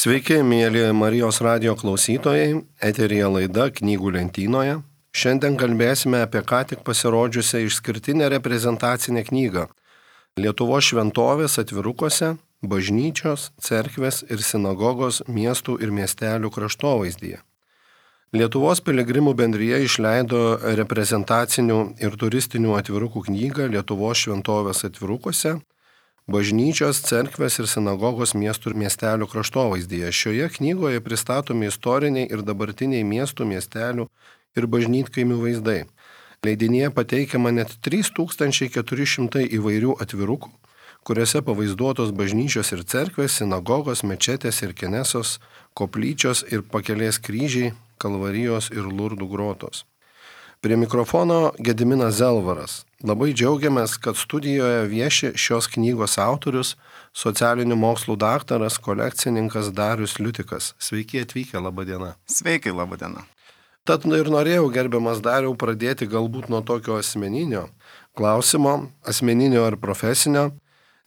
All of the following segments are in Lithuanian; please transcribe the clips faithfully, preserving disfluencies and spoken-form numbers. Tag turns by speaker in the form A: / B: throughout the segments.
A: Sveiki, mėly Marijos radijo klausytojai, eteryje laida Knygų lentynoje. Šiandien kalbėsime apie ką tik pasirodžiusią išskirtinę reprezentacinę knygą Lietuvos šventovės atvirukuose, bažnyčios, cerkvės ir sinagogos miestų ir miestelių kraštovaizdyje. Lietuvos piligrimų bendrija išleido reprezentacinių ir turistinių atvirukų knygą Lietuvos šventovės atvirukuose, bažnyčios, cerkvės ir sinagogos miestų ir miestelių kraštovaizdyje. Šioje knygoje pristatomi istoriniai ir dabartiniai miestų, miestelių ir bažnytkaimių vaizdai. Leidinyje pateikiama net trys tūkstančiai keturi šimtai įvairių atvirukų, kuriuose pavaizduotos bažnyčios ir cerkvės, sinagogos, mečetės ir kenesos, koplyčios ir pakelės kryžiai, kalvarijos ir Lurdų grotos. Prie mikrofono Gediminas Zelvaras. Labai džiaugiamės, kad studijoje vieši šios knygos autorius, socialinių mokslų daktaras, kolekcininkas Darius Liutikas. Sveiki atvykę, laba diena.
B: Sveiki, laba diena.
A: Tad ir norėjau, gerbiamas Dariau, pradėti galbūt nuo tokio asmeninio klausimo, asmeninio ar profesinio.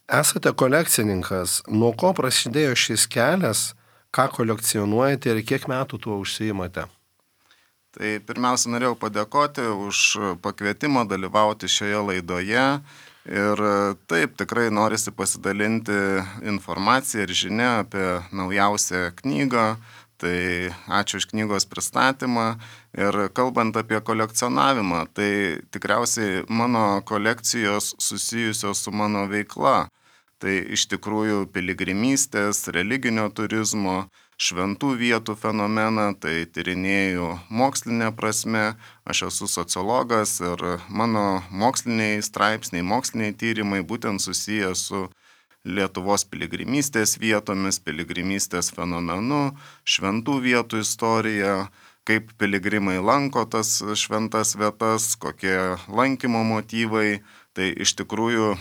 A: Esate kolekcininkas. Nuo ko prasidėjo šis kelias, ką kolekcionuojate ir kiek metų tuo užsiimate?
B: Tai pirmiausia, norėjau padėkoti už pakvietimą dalyvauti šioje laidoje ir taip tikrai norisi pasidalinti informaciją ir žinia apie naujausią knygą, tai ačiū už knygos pristatymą ir kalbant apie kolekcionavimą, tai tikriausiai mano kolekcijos susijusios su mano veikla, tai iš tikrųjų piligrimystės, religinio turizmo, šventų vietų fenomeną, tai tyrinėju mokslinę prasme, aš esu sociologas ir mano moksliniai straipsniai, moksliniai tyrimai būtent susiję su Lietuvos piligrimystės vietomis, piligrimystės fenomenu, šventų vietų istorija, kaip piligrimai lanko tas šventas vietas, kokie lankymo motyvai. Tai iš tikrųjų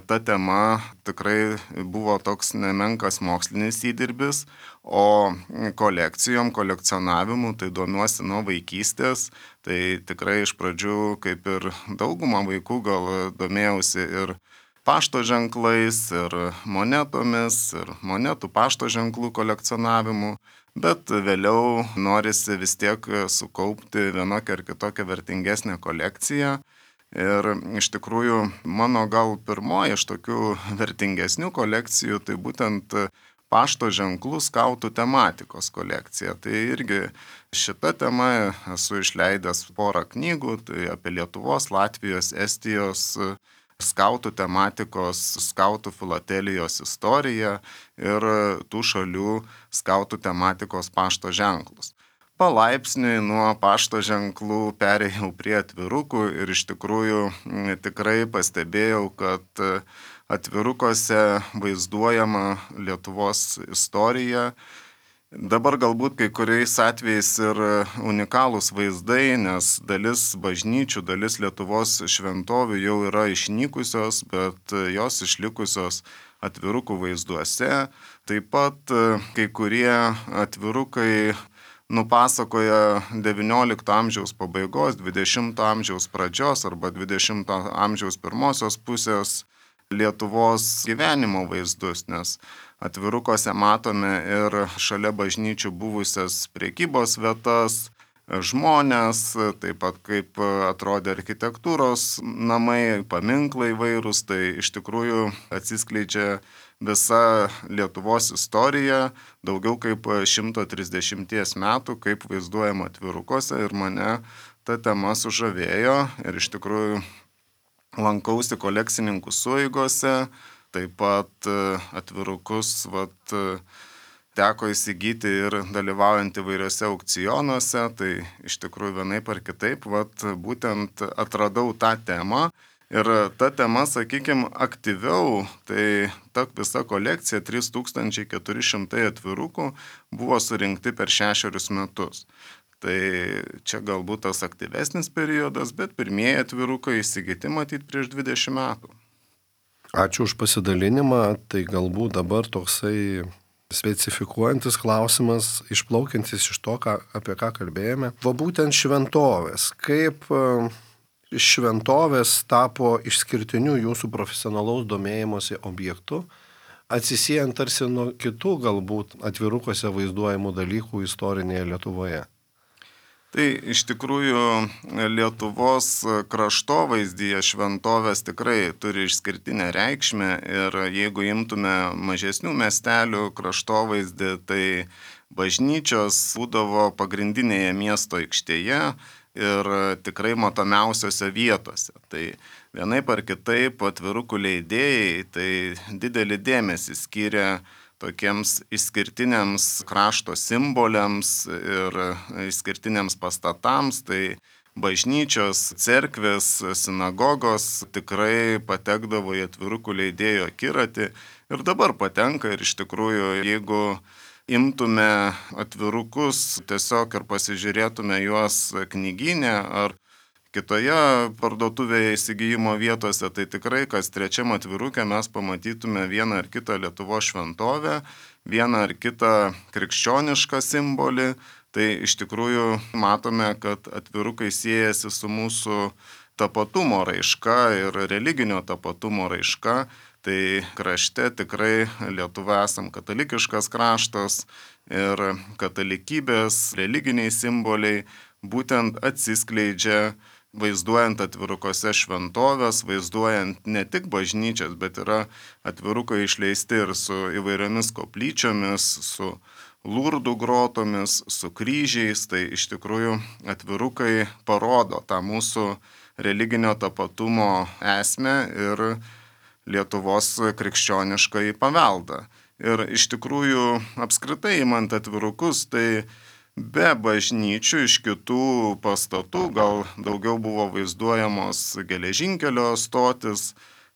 B: ta tema tikrai buvo toks nemenkas mokslinis įdirbis, o kolekcijom, kolekcionavimu tai domiuosi nuo vaikystės. Tai tikrai iš pradžių, kaip ir dauguma vaikų, gal domėjausi ir pašto ženklais, ir monetomis, ir monetų pašto ženklų kolekcionavimu. Bet vėliau norisi vis tiek sukaupti vienokią ar kitokią vertingesnę kolekciją. Ir iš tikrųjų mano gal pirmoji iš tokių vertingesnių kolekcijų, tai būtent pašto ženklų skautų tematikos kolekcija. Tai irgi šita tema esu išleidęs porą knygų, tai apie Lietuvos, Latvijos, Estijos skautų tematikos, skautų filatelijos istoriją ir tų šalių skautų tematikos pašto ženklus. Palaipsniui nuo pašto ženklų perėjau prie atvirukų ir iš tikrųjų tikrai pastebėjau, kad atvirukuose vaizduojama Lietuvos istorija. Dabar galbūt kai kuriais atvejais ir unikalūs vaizdai, nes dalis bažnyčių, dalis Lietuvos šventovių jau yra išnykusios, bet jos išlikusios atvirukų vaizduose. Taip pat kai kurie atvirukai nupasakoja devyniolikto amžiaus pabaigos, dvidešimto amžiaus pradžios arba dvidešimto amžiaus pirmosios pusės Lietuvos gyvenimo vaizdus, nes atvirukuose matome ir šalia bažnyčių buvusias prekybos vietas, žmonės, taip pat kaip atrodė architektūros namai, paminklai vairūs, tai iš tikrųjų atsiskleidžia visa Lietuvos istorija, daugiau kaip šimtas trisdešimt metų, kaip vaizduojama atvirukuose ir mane ta tema sužavėjo ir iš tikrųjų lankausi kolekcininkų sueigose, taip pat atvirukus vat, teko įsigyti ir dalyvaujant įvairiose aukcionuose, tai iš tikrųjų vienaip ar kitaip vat, būtent atradau tą temą. Ir ta tema, sakykime, aktyviau, tai ta visa kolekcija, trys tūkstančiai keturi šimtai atvirukų, buvo surinkti per šešerius metus. Tai čia galbūt tas aktyvesnis periodas, bet pirmieji atvirukai įsigyti matyti prieš dvidešimt metų.
A: Ačiū už pasidalinimą, tai galbūt dabar toksai specifikuojantis klausimas, išplaukiantis iš to, ką, apie ką kalbėjome. Va būtent šventovės. Kaip šventovės tapo išskirtiniu jūsų profesionalaus domėjimosi objektu? atsisiejant tarsi nuo kitų galbūt atvirukuose vaizduojamų dalykų istorinėje Lietuvoje?
B: Tai iš tikrųjų Lietuvos kraštovaizdyje šventovės tikrai turi išskirtinę reikšmę ir jeigu imtume mažesnių miestelių kraštovaizdį, tai bažnyčios būdavo pagrindinėje miesto aikštėje ir tikrai matomiausiose vietose. Tai vienaip ar kitaip atvirukų leidėjai tai didelį dėmesį skiria tokiems išskirtiniams krašto simboliams ir išskirtiniams pastatams, tai bažnyčios, cerkvės, sinagogos tikrai patekdavo į atvirukų leidėjo akiratį ir dabar patenka ir iš tikrųjų, jeigu imtume atvirukus tiesiog ir pasižiūrėtume juos knygyne ar kitoje parduotuvėje įsigijimo vietose, tai tikrai kas trečiam atvirukė mes pamatytume vieną ar kitą Lietuvos šventovę, vieną ar kitą krikščionišką simbolį. Tai iš tikrųjų matome, kad atvirukai siejasi su mūsų tapatumo raiška ir religinio tapatumo raiška. Tai krašte tikrai Lietuva esam katalikiškas kraštas ir katalikybės religiniai simboliai būtent atsiskleidžia vaizduojant atvirukose šventovės, vaizduojant ne tik bažnyčias, bet yra atvirukai išleisti ir su įvairiomis koplyčiomis, su Lurdų grotomis, su kryžiais. Tai iš tikrųjų atvirukai parodo tą mūsų religinio tapatumo esmę ir Lietuvos krikščioniškąjį paveldą. Ir iš tikrųjų apskritai imant atvirukus, tai be bažnyčių iš kitų pastatų gal daugiau buvo vaizduojamos geležinkelio stotis,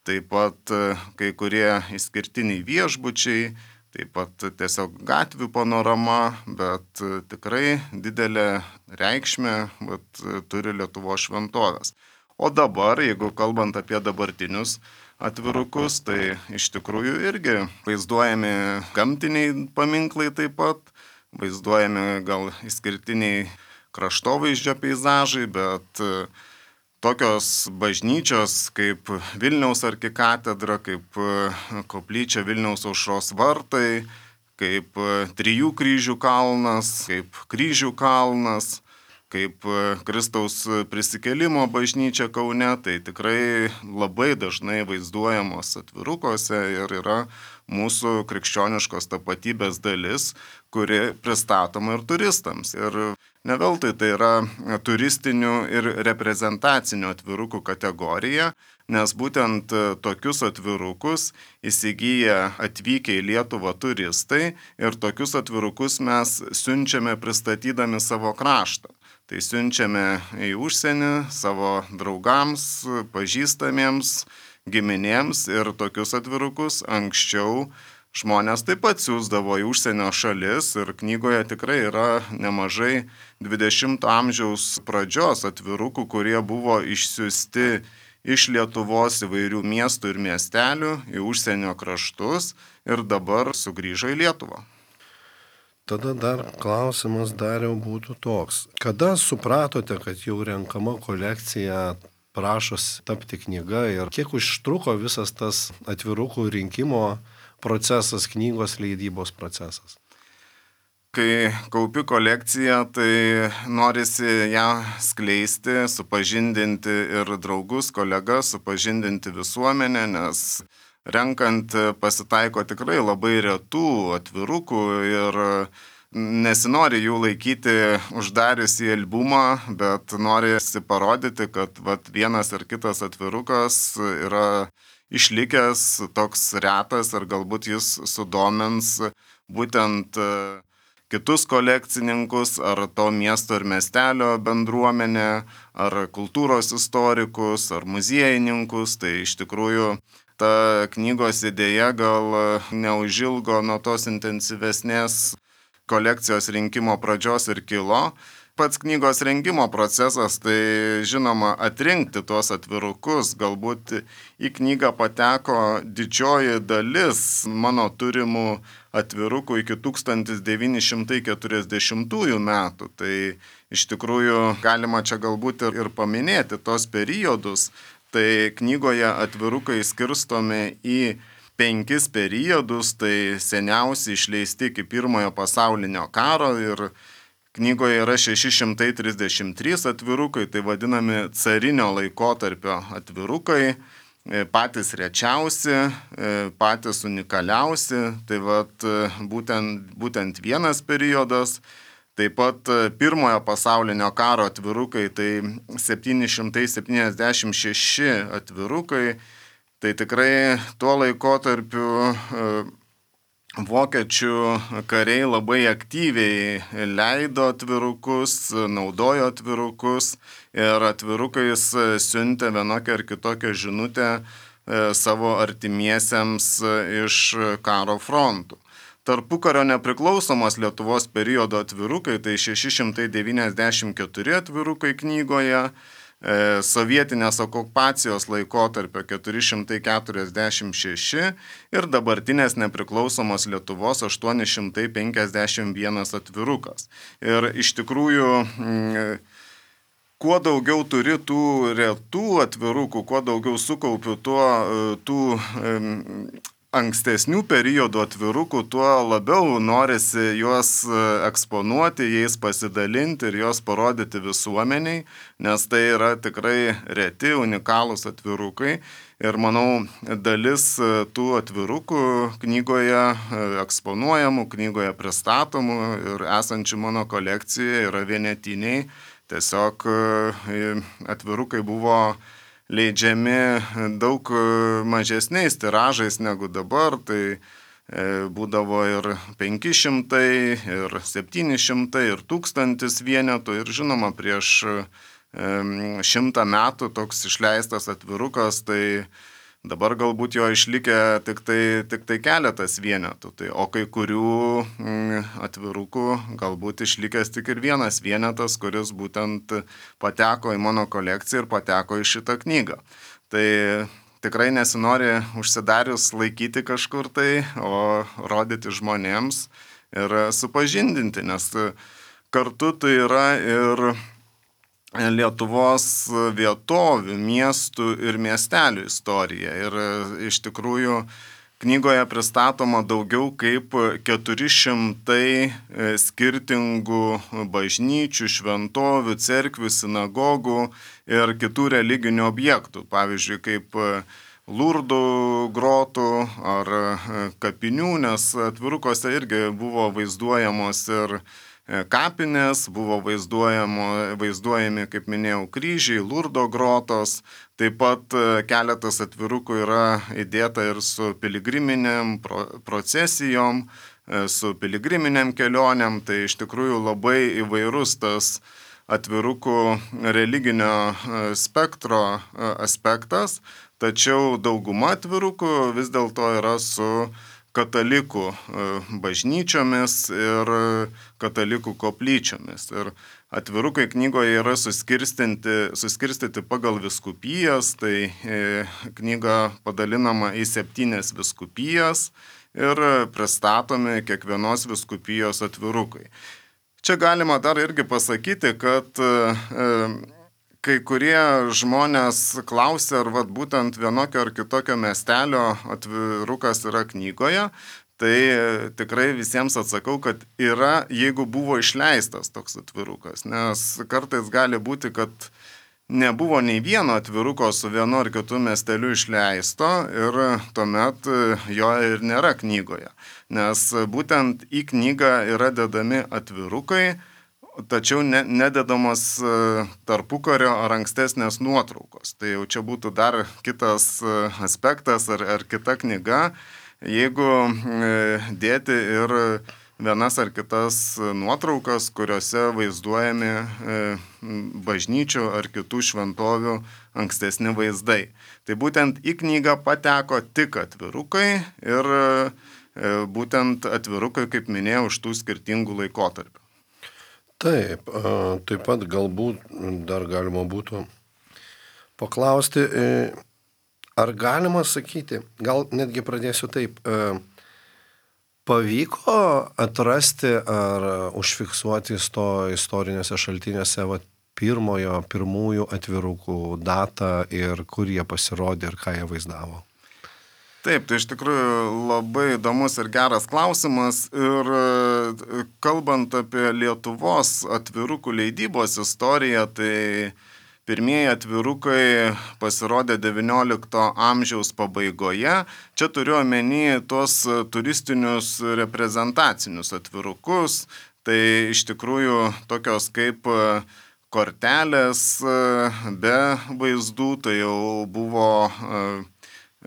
B: taip pat kai kurie išskirtiniai viešbučiai, taip pat tiesiog gatvių panorama, bet tikrai didelę reikšmę bet, turi Lietuvos šventovės. O dabar, jeigu kalbant apie dabartinius atvirukus, tai iš tikrųjų irgi vaizduojami gamtiniai paminklai taip pat, vaizduojami gal išskirtiniai kraštovaizdžio peizažai, bet tokios bažnyčios kaip Vilniaus arkikatedra, kaip koplyčia Vilniaus Aušros vartai, kaip Trijų kryžių kalnas, kaip Kryžių kalnas, kaip Kristaus prisikėlimo bažnyčia Kaune, tai tikrai labai dažnai vaizduojamos atvirukose ir yra mūsų krikščioniškos tapatybės dalis, kuri pristatoma ir turistams. Ir ne veltui tai yra turistinių ir reprezentacinių atvirukų kategorija, nes būtent tokius atvirukus įsigyja atvykę į Lietuvą turistai ir tokius atvirukus mes siunčiame pristatydami savo kraštą. Tai siunčiame į užsienį savo draugams, pažįstamiems, giminėms ir tokius atvirukus anksčiau žmonės taip pat siųsdavo į užsienio šalis ir knygoje tikrai yra nemažai dvidešimto amžiaus pradžios atvirukų, kurie buvo išsiųsti iš Lietuvos įvairių miestų ir miestelių į užsienio kraštus ir dabar sugrįžo į Lietuvą.
A: Tada dar klausimas Dariau būtų toks. Kada supratote, kad jau renkama kolekcija prašos tapti knyga ir kiek užtruko visas tas atvirukų rinkimo procesas, knygos leidybos procesas?
B: Kai kaupi kolekciją, tai norisi ją skleisti, supažindinti ir draugus, kolegas, supažindinti visuomenę, nes renkant pasitaiko tikrai labai retų atvirukų ir nesinori jų laikyti uždarius į albumą, bet norisi parodyti, kad vat, vienas ar kitas atvirukas yra išlikęs toks retas ir galbūt jis sudomins būtent kitus kolekcininkus, ar to miesto ir miestelio bendruomenę, ar kultūros istorikus, ar muziejininkus. Tai iš tikrųjų ta knygos idėja gal neužilgo nuo tos intensyvesnės kolekcijos rinkimo pradžios ir kilo. Pats knygos rengimo procesas, tai žinoma atrinkti tuos atvirukus, galbūt į knygą pateko didžioji dalis mano turimų atvirukų iki tūkstantis devyni šimtai keturiasdešimtųjų metų. Tai iš tikrųjų galima čia galbūt ir, ir paminėti tos periodus. Tai knygoje atvirukai skirstomi į penkis periodus, tai seniausi išleisti iki pirmojo pasaulinio karo ir knygoje yra šeši šimtai trisdešimt trys atvirukai, tai vadinami carinio laikotarpio atvirukai, patys rečiausi, patys unikaliausi, tai vat, būtent, būtent vienas periodas. Taip pat pirmojo pasaulinio karo atvirukai, tai septyni šimtai septyniasdešimt šeši atvirukai, tai tikrai tuo laikotarpiu vokiečių kariai labai aktyviai leido atvirukus, naudojo atvirukus ir atvirukais siuntė vienokią ar kitokią žinutę savo artimiesiems iš karo frontų. Tarpukario nepriklausomos Lietuvos periodo atvirukai, tai šeši šimtai devyniasdešimt keturi atvirukai knygoje, sovietinės okupacijos laikotarpio keturi šimtai keturiasdešimt šeši ir dabartinės nepriklausomos Lietuvos aštuoni šimtai penkiasdešimt vienas atvirukas. Ir iš tikrųjų, kuo daugiau turi tų retų atvirukų, kuo daugiau sukaupiu tuo, tų ankstesnių periodų atvirukų, tuo labiau norisi juos eksponuoti, jais pasidalinti ir juos parodyti visuomeniai, nes tai yra tikrai reti, unikalūs atvirukai. Ir manau, dalis tų atvirukų knygoje eksponuojamų, knygoje pristatomų ir esančių mano kolekcijoje yra vienetiniai. Tiesiog atvirukai buvo leidžiami daug mažesniais tiražais negu dabar, tai būdavo ir penki šimtai, ir septyni šimtai, ir tūkstantis vienetų. Ir žinoma, prieš šimtą metų toks išleistas atvirukas, tai dabar galbūt jo išlikę tik tai, tik tai keletas vienetų. Tai, o kai kurių atvirukų galbūt išlikęs tik ir vienas vienetas, kuris būtent pateko į mano kolekciją ir pateko į šitą knygą. Tai tikrai nesinori užsidarius laikyti kažkur tai, o rodyti žmonėms ir supažindinti, nes kartu tai yra ir Lietuvos vietovių, miestų ir miestelių istorija. Ir iš tikrųjų knygoje pristatoma daugiau kaip keturi šimtai skirtingų bažnyčių, šventovių, cerkvių, sinagogų ir kitų religinių objektų. Pavyzdžiui, kaip Lurdų grotų ar kapinių, nes atvirukose irgi buvo vaizduojamos ir kapinės, buvo vaizduojami, kaip minėjau, kryžiai, Lurdo grotos, taip pat keletas atvirukų yra įdėta ir su piligriminėm procesijom, su piligriminėm kelionėm, tai iš tikrųjų labai įvairus tas atvirukų religinio spektro aspektas, tačiau dauguma atvirukų vis dėlto yra su katalikų bažnyčiomis ir katalikų koplyčiomis. Ir atvirukai knygoje yra suskirstyti, suskirstyti pagal vyskupijas, tai knyga padalinama į septynias vyskupijas ir pristatomi kiekvienos vyskupijos atvirukai. Čia galima dar irgi pasakyti, kad kai kurie žmonės klausia, ar vat, būtent vienokio ar kitokio miestelio atvirukas yra knygoje, tai tikrai visiems atsakau, kad yra, jeigu buvo išleistas toks atvirukas, nes kartais gali būti, kad nebuvo nei vieno atviruko su vienu ar kitu miesteliu išleisto ir tuomet jo ir nėra knygoje, nes būtent į knygą yra dedami atvirukai, tačiau ne, nededamos tarpukario ar ankstesnės nuotraukos. Tai jau čia būtų dar kitas aspektas ar, ar kita knyga, jeigu dėti ir vienas ar kitas nuotraukas, kuriuose vaizduojami bažnyčių ar kitų šventovių ankstesni vaizdai. Tai būtent į knygą pateko tik atvirukai ir būtent atvirukai, kaip minėjau, iš tų skirtingų laikotarpių.
A: Taip, taip pat galbūt dar galima būtų paklausti, ar galima sakyti, gal netgi pradėsiu taip, pavyko atrasti ar užfiksuoti to istorinėse šaltiniuose va, pirmojo, pirmųjų atvirukų datą ir kur jie pasirodė ir ką jie vaizdavo?
B: Taip, tai iš tikrųjų labai įdomus ir geras klausimas. Ir kalbant apie Lietuvos atvirukų leidybos istoriją, tai pirmieji atvirukai pasirodė devyniolikto amžiaus pabaigoje. Čia turiu omeny tuos turistinius reprezentacinius atvirukus. Tai iš tikrųjų tokios kaip kortelės be vaizdų, tai jau buvo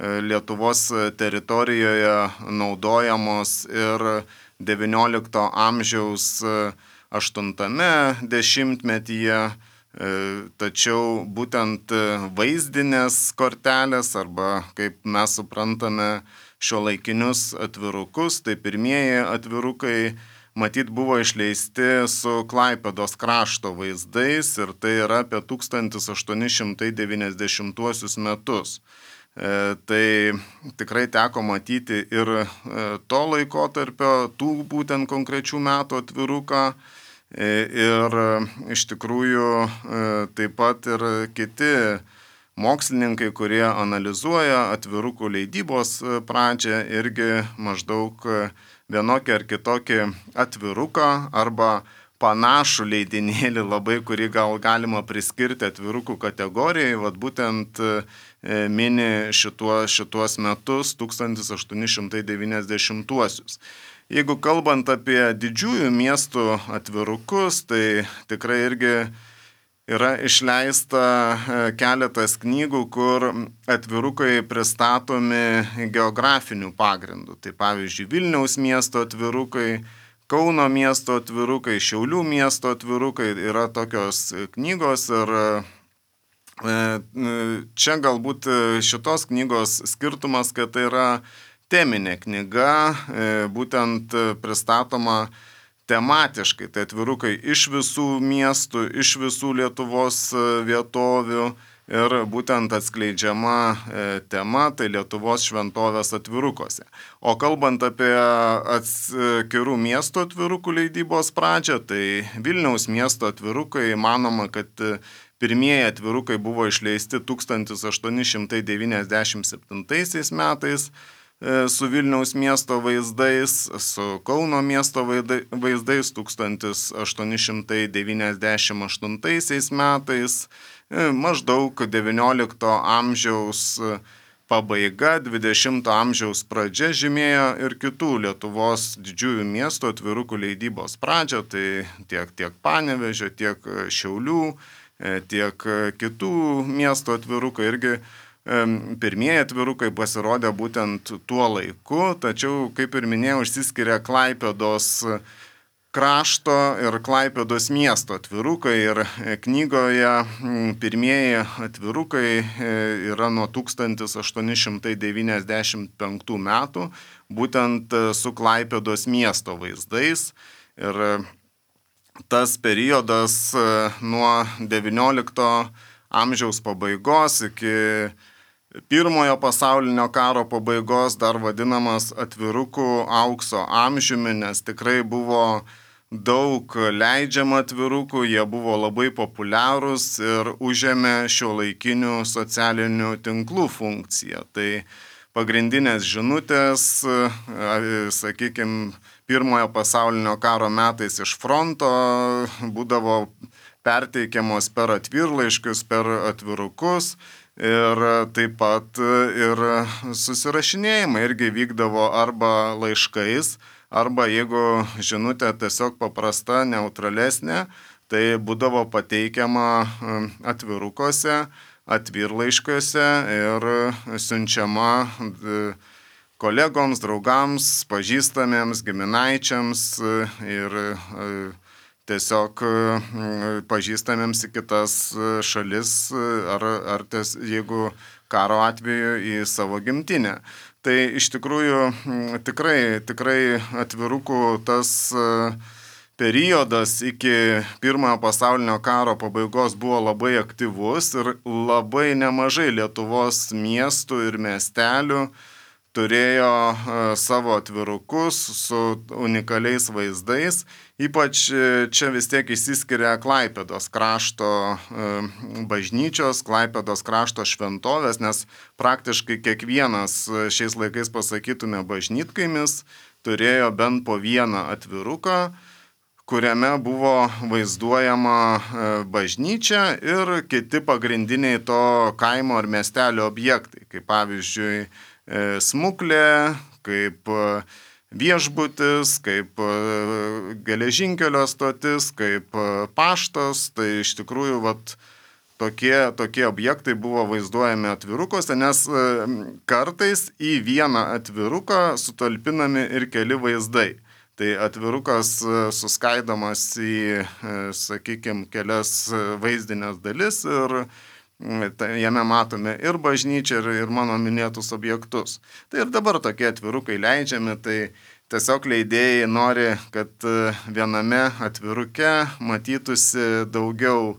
B: Lietuvos teritorijoje naudojamos ir devyniolikto amžiaus aštuntame dešimtmetyje, tačiau būtent vaizdinės kortelės arba, kaip mes suprantame, šiuolaikinius atvirukus, tai pirmieji atvirukai matyt buvo išleisti su Klaipėdos krašto vaizdais ir tai yra apie tūkstantis aštuoni šimtai devyniasdešimtuosius metus. E, tai tikrai teko matyti ir e, to laikotarpio, tų būtent konkrečių metų atviruką e, ir e, iš tikrųjų e, taip pat ir kiti mokslininkai, kurie analizuoja atvirukų leidybos pradžią, irgi maždaug vienokį ar kitokį atviruką arba panašų leidinėlį labai, kurį gal galima priskirti atvirukų kategorijai, vat būtent mini šituo, šituos metus, tūkstantis aštuoni šimtai devyniasdešimtuosius. Jeigu kalbant apie didžiųjų miestų atvirukus, tai tikrai irgi yra išleista keletas knygų, kur atvirukai pristatomi geografiniu pagrindu. Tai pavyzdžiui, Vilniaus miesto atvirukai, Kauno miesto atvirukai, Šiaulių miesto atvirukai yra tokios knygos ir čia galbūt šitos knygos skirtumas, kad tai yra teminė knyga, būtent pristatoma tematiškai, tai atvirukai iš visų miestų, iš visų Lietuvos vietovių ir būtent atskleidžiama tema, tai Lietuvos šventovės atvirukuose. O kalbant apie atskirų miesto atvirukų leidybos pradžią, tai Vilniaus miesto atvirukai manoma, kad pirmieji atvirukai buvo išleisti tūkstantis aštuoni šimtai devyniasdešimt septintaisiais metais su Vilniaus miesto vaizdais, su Kauno miesto vaizdais tūkstantis aštuoni šimtai devyniasdešimt aštuntaisiais metais, maždaug devyniolikto amžiaus pabaiga, dvidešimto amžiaus pradžia žymėjo ir kitų Lietuvos didžiųjų miestų atvirukų leidybos pradžią, tai tiek, tiek Panevėžio, tiek Šiaulių, tiek kitų miestų atvirukai irgi. Pirmieji atvirukai pasirodė būtent tuo laiku, tačiau, kaip ir minėjau, išsiskiria Klaipėdos krašto ir Klaipėdos miesto atvirukai ir knygoje pirmieji atvirukai yra nuo tūkstantis aštuoni šimtai devyniasdešimt penktų metų, būtent su Klaipėdos miesto vaizdais. Ir tas periodas nuo devyniolikto amžiaus pabaigos iki Pirmojo pasaulinio karo pabaigos dar vadinamas atvirukų aukso amžiumi, nes tikrai buvo daug leidžiama atvirukų, jie buvo labai populiarūs ir užėmė šiuolaikinių socialinių tinklų funkciją. Tai pagrindinės žinutės, sakykime, Pirmojo pasaulinio karo metais iš fronto būdavo perteikiamos per atvirlaiškius, per atvirukus. Ir taip pat ir susirašinėjimai irgi vykdavo arba laiškais, arba jeigu žinutė tiesiog paprasta, neutralesnė, tai būdavo pateikiama atvirukuose, atvirlaiškiuose ir siunčiama kolegoms, draugams, pažįstamiems, giminaičiams ir tiesiog pažįstamiems į kitas šalis ar, ar ties, jeigu karo atveju į savo gimtinę. Tai iš tikrųjų tikrai, tikrai atvirukų tas periodas iki Pirmojo pasaulinio karo pabaigos buvo labai aktyvus ir labai nemažai Lietuvos miestų ir miestelių turėjo savo atvirukus su unikaliais vaizdais. Ypač čia vis tiek išsiskiria Klaipėdos krašto bažnyčios, Klaipėdos krašto šventovės, nes praktiškai kiekvienas šiais laikais pasakytume bažnytkaimis turėjo bent po vieną atviruką, kuriame buvo vaizduojama bažnyčia ir kiti pagrindiniai to kaimo ar miestelio objektai, kaip pavyzdžiui smuklė, kaip viešbutis, kaip geležinkelio stotis, kaip paštas. Tai iš tikrųjų vat, tokie, tokie objektai buvo vaizduojami atvirukose, nes kartais į vieną atviruką sutalpinami ir keli vaizdai. Tai atvirukas suskaidomas į, sakykime, kelias vaizdinės dalis ir jame matome ir bažnyčią, ir, ir mano minėtus objektus. Tai ir dabar tokie atvirukai leidžiami, tai tiesiog leidėjai nori, kad viename atviruke matytųsi daugiau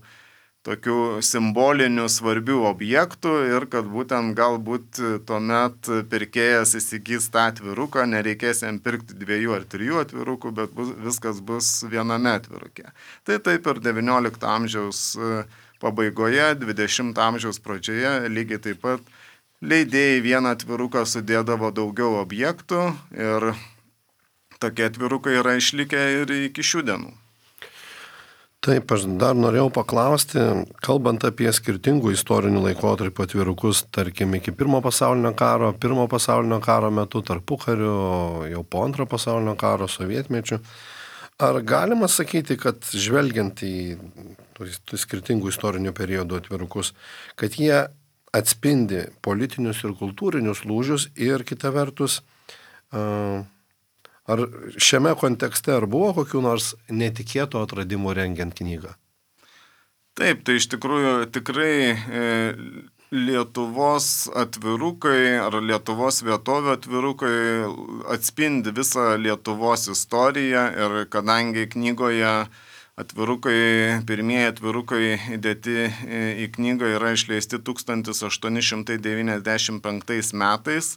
B: tokių simbolinių svarbių objektų ir kad būtent galbūt tuomet pirkėjas įsigys tą atviruką, nereikės jam pirkti dviejų ar trijų atvirukų, bet bus, viskas bus viename atviruke. Tai taip ir devyniolikto amžiaus pabaigoje, dvidešimto amžiaus pradžioje lygiai taip pat leidėjai vieną atviruką sudėdavo daugiau objektų ir tokie atvirukai yra išlikę ir iki šių dienų.
A: Taip, aš dar norėjau paklausti, kalbant apie skirtingų istorinių laikotarpių atvirukus, tarkim, iki pirmo pasaulinio karo, pirmo pasaulinio karo metu, tarpukariu, jau po antro pasaulinio karo, sovietmečiu, ar galima sakyti, kad žvelgiant į tų skirtingų istorinių periodų atvirukus, kad jie atspindi politinius ir kultūrinius lūžius ir kita vertus, ar šiame kontekste ar buvo kokių nors netikėtų atradimų rengiant knygą?
B: Taip, tai iš tikrųjų tikrai Lietuvos atvirukai ar Lietuvos vietovių atvirukai atspindi visą Lietuvos istoriją ir kadangi knygoje atvirukai, pirmieji atvirukai įdėti į knygą yra išleisti tūkstantis aštuoni šimtai devyniasdešimt penktais metais,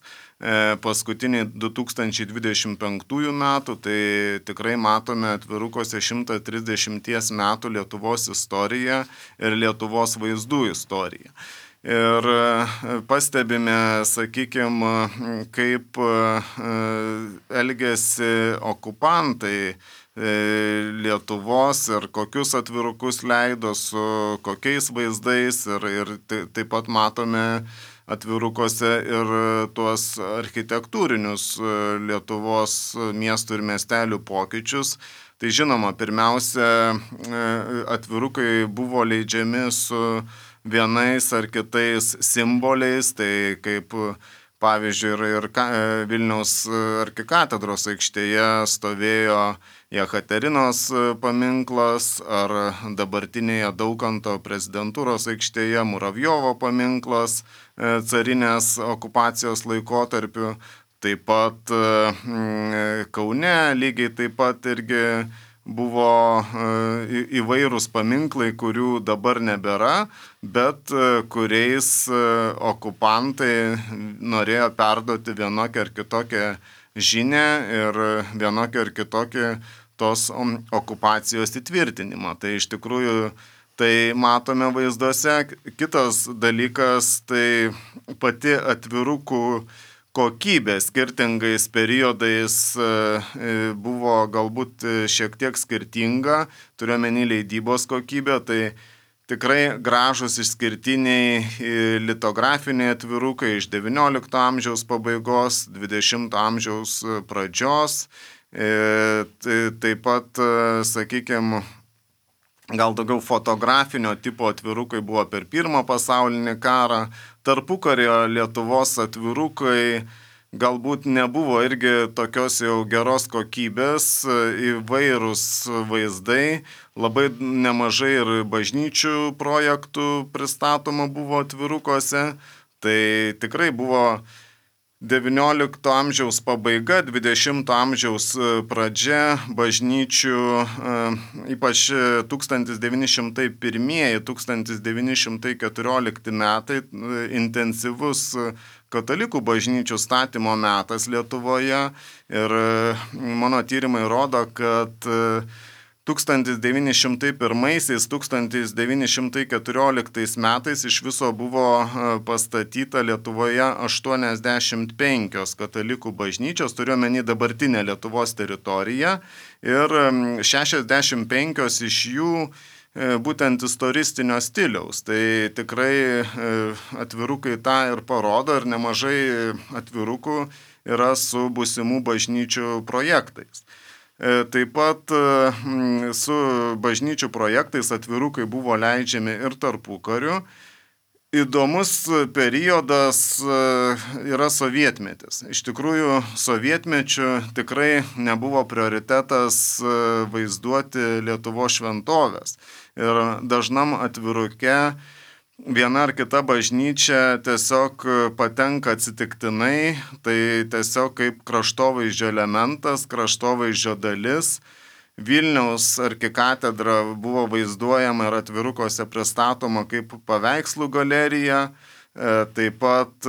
B: paskutiniai du tūkstančiai dvidešimt penktųjų metų, tai tikrai matome atvirukose šimtą trisdešimt metų Lietuvos istoriją ir Lietuvos vaizdų istoriją. Ir pastebime, sakykime, kaip elgėsi okupantai Lietuvos ir kokius atvirukus leido, su kokiais vaizdais ir, ir taip pat matome atvirukuose ir tuos architektūrinius Lietuvos miestų ir miestelių pokyčius. Tai žinoma, pirmiausia, atvirukai buvo leidžiami su vienais ar kitais simboliais, tai kaip pavyzdžiui ir, ir Vilniaus arkikatedros aikštėje stovėjo Jekaterinos paminklas, ar dabartinėje Daukanto prezidentūros aikštėje Muravjovo paminklas carinės okupacijos laikotarpiu. Taip pat Kaune lygiai taip pat irgi buvo įvairūs paminklai, kurių dabar nebėra, bet kuriais okupantai norėjo perduoti vienokią ar kitokią žinią ir vienokią ar kitokią tos okupacijos įtvirtinimą. Tai iš tikrųjų tai matome vaizduose. Kitas dalykas, tai pati atvirukų kokybė skirtingais periodais buvo galbūt šiek tiek skirtinga, turiuomenį leidybos kokybę, tai tikrai gražus išskirtiniai litografiniai atvirukai iš devyniolikto amžiaus pabaigos, dvidešimto amžiaus pradžios, taip pat, sakykime, gal daugiau fotografinio tipo atvirukai buvo per pirmą pasaulinį karą. Tarpukario Lietuvos atvirukai galbūt nebuvo irgi tokios jau geros kokybės, įvairūs vaizdai, labai nemažai ir bažnyčių projektų pristatoma buvo atvirukuose. Tai tikrai buvo devyniolikto amžiaus pabaiga, dvidešimto amžiaus pradžia bažnyčių, ypač tūkstantis devyni šimtai pirmieji - tūkstantis devyni šimtai keturiolikti metai, intensyvus katalikų bažnyčių statymo metas Lietuvoje ir mano tyrimai rodo, kad tūkstantis devyni šimtai pirmaisiais - tūkstantis devyni šimtai keturioliktais metais iš viso buvo pastatyta Lietuvoje aštuoniasdešimt penkios katalikų bažnyčios, turiuomenį dabartinę Lietuvos teritoriją, ir šešiasdešimt penkios iš jų būtent istoristinio stiliaus. Tai tikrai atvirukai tą ir parodo, ir nemažai atvirukų yra su būsimų bažnyčių projektais. Taip pat su bažnyčių projektais atvirukai buvo leidžiami ir tarpukariu. Įdomus periodas yra sovietmetis. Iš tikrųjų, sovietmečiu tikrai nebuvo prioritetas vaizduoti Lietuvos šventovės. Ir dažnam atviruke viena ar kita bažnyčia tiesiog patenka atsitiktinai, tai tiesiog kaip kraštovaizdžio elementas, kraštovaizdžio dalis. Vilniaus arkikatedra buvo vaizduojama ir atvirukose pristatoma kaip paveikslų galerija. Taip pat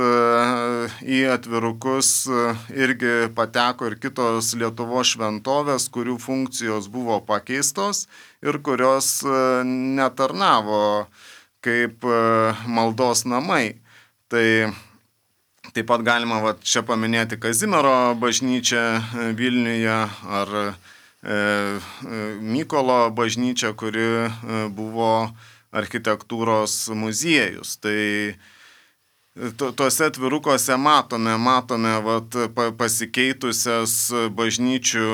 B: į atvirukus irgi pateko ir kitos Lietuvos šventovės, kurių funkcijos buvo pakeistos ir kurios netarnavo kaip maldos namai. Tai taip pat galima va, čia paminėti Kazimiero bažnyčią Vilniuje ar e, Mykolo bažnyčią, kuri buvo architektūros muziejus. Tai tuose atvirukose matome, matome vat, pasikeitusias bažnyčių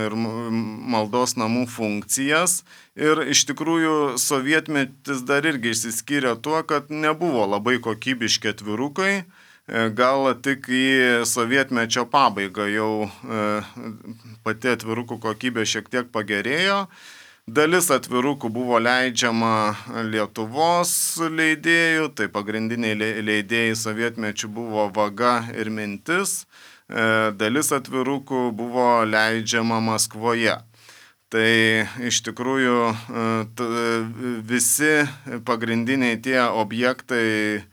B: ir maldos namų funkcijas. Ir iš tikrųjų sovietmetis dar irgi išsiskyrė tuo, kad nebuvo labai kokybiški atvirukai. Gal tik į sovietmečio pabaigą jau pati atvirukų kokybė šiek tiek pagerėjo. Dalis atvirukų buvo leidžiama Lietuvos leidėjų, tai pagrindiniai leidėjai sovietmečių buvo Vaga ir Mintis. Dalis atvirukų buvo leidžiama Maskvoje. Tai iš tikrųjų visi pagrindiniai tie objektai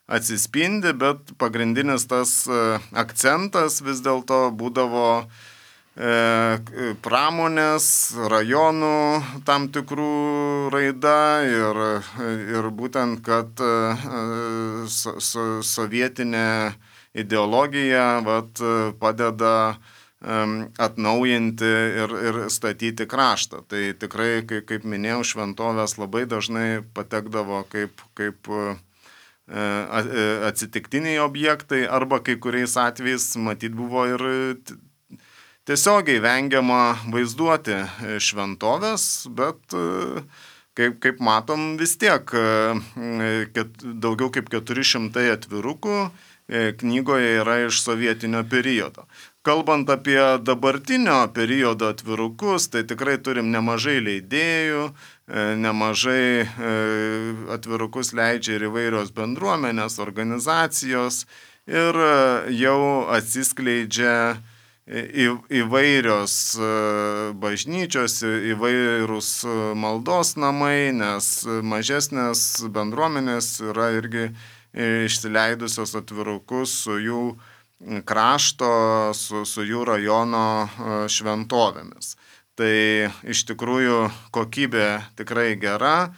B: atsispindi, bet pagrindinis tas akcentas vis dėlto būdavo pramonės, rajonų tam tikrų raida ir, ir būtent, kad so, so, sovietinė ideologija vat, padeda atnaujinti ir, ir statyti kraštą. Tai tikrai, kaip, kaip minėjau, šventovės labai dažnai patekdavo kaip, kaip atsitiktiniai objektai, arba kai kuriais atvejais matyt buvo ir tiesiogiai vengiama vaizduoti šventovės, bet kaip, kaip matom vis tiek ket, daugiau kaip keturi šimtai atvirukų knygoje yra iš sovietinio periodo. Kalbant apie dabartinio periodo atvirukus, tai tikrai turim nemažai leidėjų, nemažai atvirukus leidžia ir įvairios bendruomenės, organizacijos ir jau atsiskleidžia įvairios bažnyčios, įvairūs maldos namai, nes mažesnės bendruomenės yra irgi išsileidusios atvirukus su jų krašto, su, su jų rajono šventovėmis. Tai iš tikrųjų kokybė tikrai gera.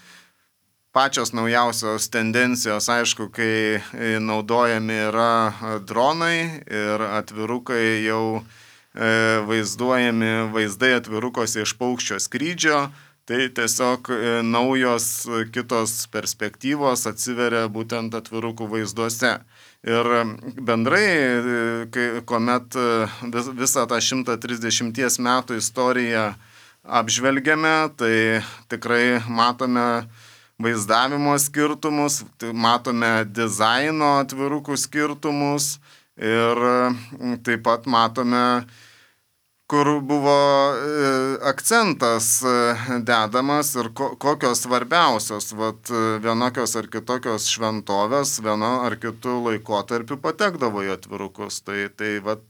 B: Pačios naujausios tendencijos, aišku, kai naudojami yra dronai ir atvirukai jau vaizduojami vaizdai atvirukose iš paukščio skrydžio, tai tiesiog naujos kitos perspektyvos atsiveria būtent atvirukų vaizduose. Ir bendrai, kai, kuomet vis, visą tą šimtą trisdešimties metų istoriją apžvelgiame, tai tikrai matome vaizdavimo skirtumus, matome dizaino atvirukų skirtumus ir taip pat matome, kur buvo akcentas dedamas ir kokios svarbiausios vat, vienokios ar kitokios šventovės vieno ar kitų laikotarpių patekdavo į atvirukus. Tai, tai vat,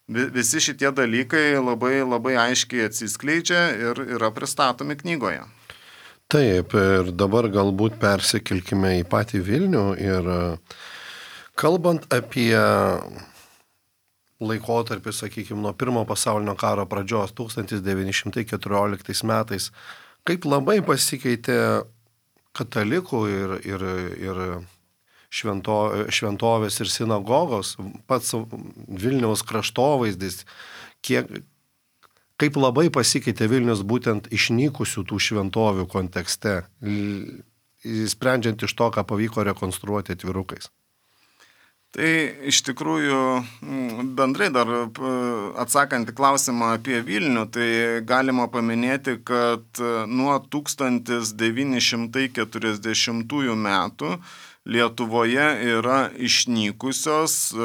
B: visi šitie dalykai labai, labai aiškiai atsiskleidžia ir yra pristatomi knygoje.
A: Taip, ir dabar galbūt persikilkime į patį Vilnių ir Kalbant apie laikotarpį, sakykime, nuo pirmo pasaulinio karo pradžios tūkstantis devyni šimtai keturioliktais metais, kaip labai pasikeitė katalikų ir, ir, ir švento, šventovės ir sinagogos, pats Vilniaus kraštovaizdis, kiek, kaip labai pasikeitė Vilnius būtent išnykusių tų šventovių kontekste, sprendžiant iš to, ką pavyko rekonstruoti atvirukais.
B: Tai iš tikrųjų bendrai dar atsakant į klausimą apie Vilnių, tai galima paminėti, kad nuo tūkstantis devyni šimtai keturiasdešimtųjų metų Lietuvoje yra išnykusios,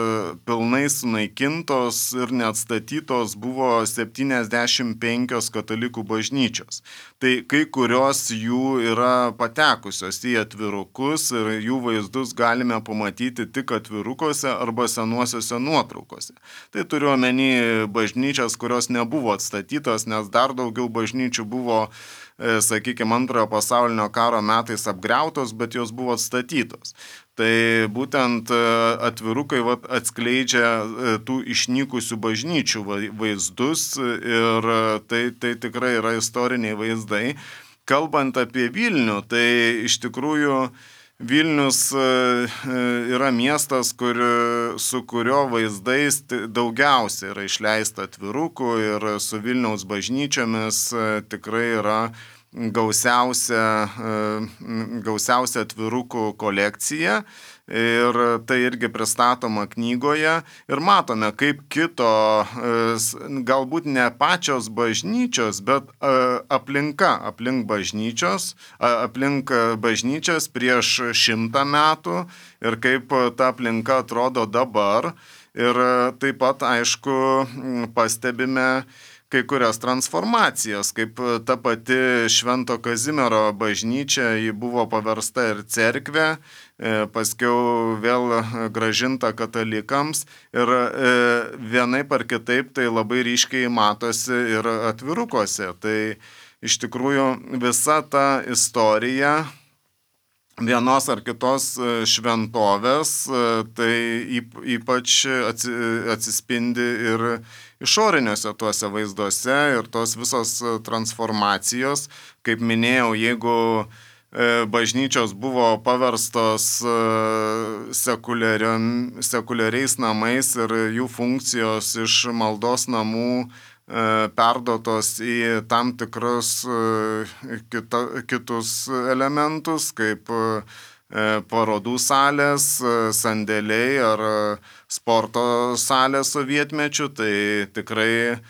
B: pilnai sunaikintos ir neatstatytos buvo septyniasdešimt penkios katalikų bažnyčios. Tai kai kurios jų yra patekusios į atvirukus ir jų vaizdus galime pamatyti tik atvirukuose arba senuosiuose nuotraukose. Tai turiu omeny bažnyčias, kurios nebuvo atstatytos, nes dar daugiau bažnyčių buvo, sakykime, antrojo pasaulinio karo metais apgriautos, bet jos buvo atstatytos. Tai būtent atvirukai vat, atskleidžia tų išnykusių bažnyčių vaizdus ir tai, tai tikrai yra istoriniai vaizdai. Kalbant apie Vilnių, tai iš tikrųjų Vilnius yra miestas, kur, su kurio vaizdais daugiausiai yra išleista atvirukų ir su Vilniaus bažnyčiomis tikrai yra gausiausia, gausiausia atvirukų kolekcija. Ir tai irgi pristatoma knygoje ir matome, kaip kito, galbūt ne pačios bažnyčios, bet aplinka, aplink bažnyčios, aplink bažnyčias prieš šimtą metų ir kaip ta aplinka atrodo dabar. Ir taip pat, aišku, pastebime kai kurias transformacijas, kaip ta pati Švento Kazimiero bažnyčia, ji buvo paversta ir cerkvė, paskiau vėl grąžinta katalikams ir vienaip ar kitaip tai labai ryškiai matosi ir atvirukuose. Tai iš tikrųjų visa ta istorija vienos ar kitos šventovės, tai ypač atsispindi ir išoriniuose tuose vaizduose ir tos visos transformacijos. Kaip minėjau, jeigu bažnyčios buvo paverstos sekuliariais namais ir jų funkcijos iš maldos namų perduotos į tam tikrus kita, kitus elementus, kaip parodų salės, sandėliai ar sporto salės sovietmečių, tai tikrai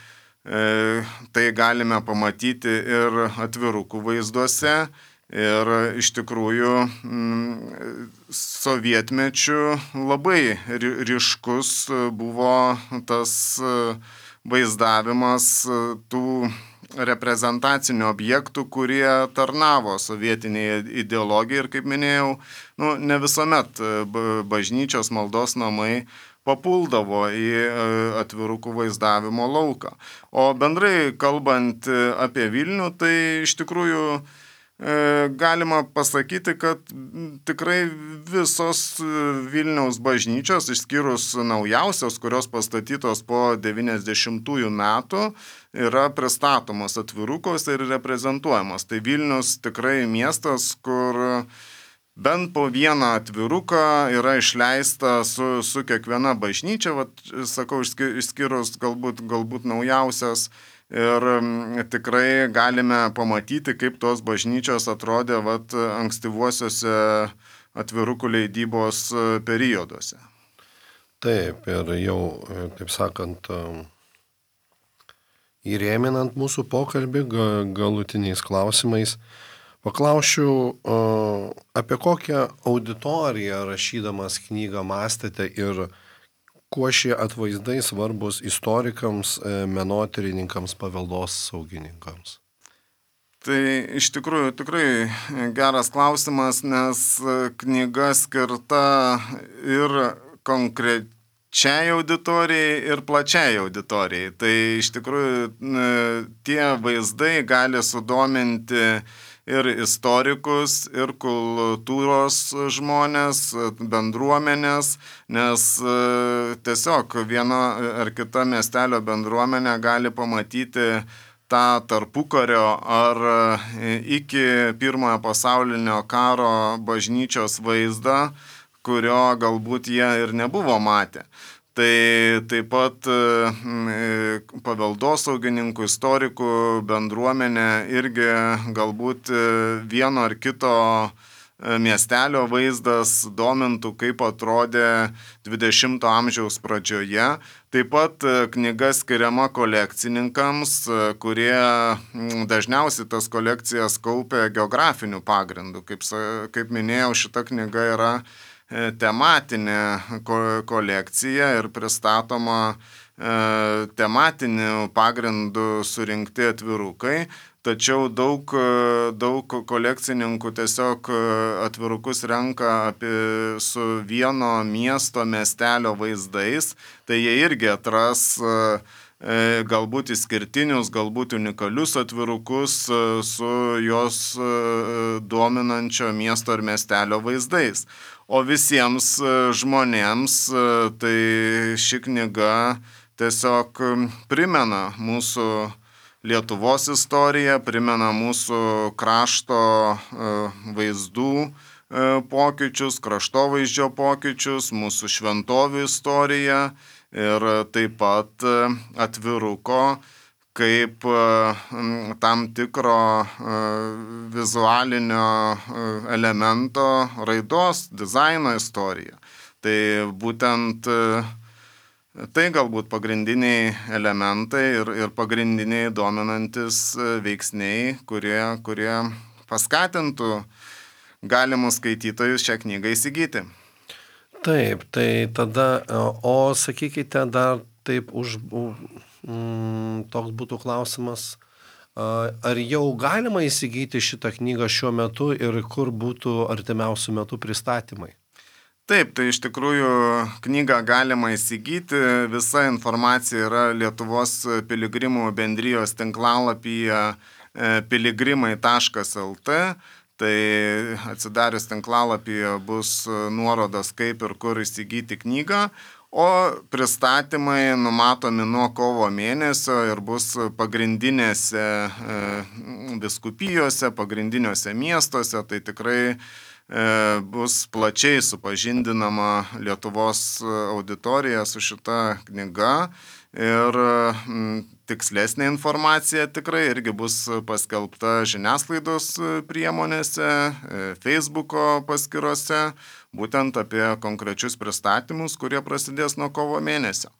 B: tai galime pamatyti ir atvirukų vaizduose. Ir iš tikrųjų sovietmečių labai ryškus buvo tas vaizdavimas tų reprezentacinių objektų, kurie tarnavo sovietiniai ideologijai ir, kaip minėjau, nu, ne visuomet bažnyčios maldos namai papuldavo į atvirukų vaizdavimo lauką. O bendrai kalbant apie Vilnių, tai iš tikrųjų galima pasakyti, kad tikrai visos Vilniaus bažnyčios, išskyrus naujausios, kurios pastatytos po devyniasdešimtųjų metų, yra pristatomos atvirukos ir reprezentuojamos. Tai Vilnius tikrai miestas, kur bent po vieną atviruką yra išleista su, su kiekviena bažnyčia, vat, sakau, išskyrus galbūt, galbūt naujausias. Ir tikrai galime pamatyti, kaip tos bažnyčios atrodė vat, ankstyvuosiuose atvirukų leidybos perioduose.
A: Taip, ir jau, taip sakant, įrėminant mūsų pokalbį galutiniais klausimais, paklausiu, apie kokią auditoriją rašydamas knygą mąstėte ir kuo šie atvaizdai svarbus istorikams, menotyrininkams, paveldos saugininkams?
B: Tai iš tikrųjų tikrai geras klausimas, nes knyga skirta ir konkrečiai auditorijai, ir plačiai auditorijai. Tai iš tikrųjų tie vaizdai gali sudominti ir istorikus, ir kultūros žmonės, bendruomenės, nes tiesiog viena ar kita miestelio bendruomenė gali pamatyti tą tarpukario ar iki pirmojo pasaulinio karo bažnyčios vaizdą, kurio galbūt jie ir nebuvo matę. Tai taip pat paveldosaugininkų, istorikų bendruomenė irgi galbūt vieno ar kito miestelio vaizdas domintų, kaip atrodė dvidešimto amžiaus pradžioje. Taip pat knyga skiriama kolekcininkams, kurie dažniausiai tas kolekcijas kaupia geografiniu pagrindu. Kaip, kaip minėjau, šita knyga yra tematinė kolekcija ir pristatoma tematiniu pagrindu surinkti atvirukai, tačiau daug, daug kolekcininkų tiesiog atvirukus renka apie su vieno miesto, miestelio vaizdais, tai jie irgi atras galbūt išskirtinius, galbūt unikalius atvirukus su jos dominančio miesto ir miestelio vaizdais. O visiems žmonėms tai ši knyga tiesiog primena mūsų Lietuvos istoriją, primena mūsų krašto vaizdų pokyčius, kraštovaizdžio pokyčius, mūsų šventovių istoriją ir taip pat atviruko kaip tam tikro vizualinio elemento raidos, dizaino istorija. Tai būtent tai galbūt pagrindiniai elementai ir, ir pagrindiniai dominantis veiksniai, kurie, kurie paskatintų galimus skaitytojus šią knygą įsigyti.
A: Taip, tai tada, o sakykite dar taip už... Toks būtų klausimas, ar jau galima įsigyti šitą knygą šiuo metu ir kur būtų artimiausių metų pristatymai?
B: Taip, tai iš tikrųjų knygą galima įsigyti, visa informacija yra Lietuvos piligrimų bendrijos tinklalapyje piligrimai taškas lt, tai atsidarius tinklalapyje bus nuorodos kaip ir kur įsigyti knygą. O pristatymai numatomi nuo kovo mėnesio ir bus pagrindinėse vyskupijose, pagrindiniuose miestuose, tai tikrai bus plačiai supažindinama Lietuvos auditorija su šita knyga ir tikslesnė informacija tikrai irgi bus paskelbta žiniasklaidos priemonėse, Facebooko paskyrose, būtent apie konkrečius pristatymus, kurie prasidės nuo kovo mėnesio.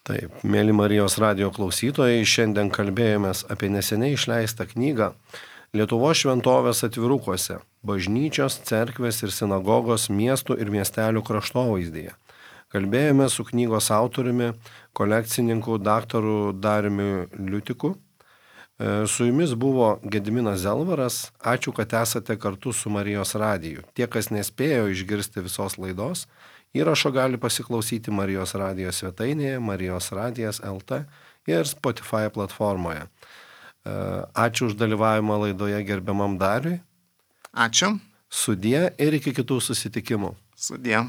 A: Taip, mėly Marijos radijo klausytojai, šiandien kalbėjomės apie neseniai išleistą knygą Lietuvos šventovės atvirukuose – bažnyčios, cerkvės ir sinagogos miestų ir miestelių kraštovaizdyje. Kalbėjome su knygos autoriumi, kolekcininku daktaru Dariumi Liutiku. Su jumis buvo Gediminas Zelvaras. Ačiū, kad esate kartu su Marijos radiju. Tie, kas nespėjo išgirsti visos laidos, įrašo gali pasiklausyti Marijos radijo svetainėje Marijos radijas taškas el te ir Spotify platformoje. Ačiū už dalyvavimą laidoje gerbiamam Dariui.
B: Ačiū.
A: Sudie ir iki kitų susitikimų.
B: Sudie.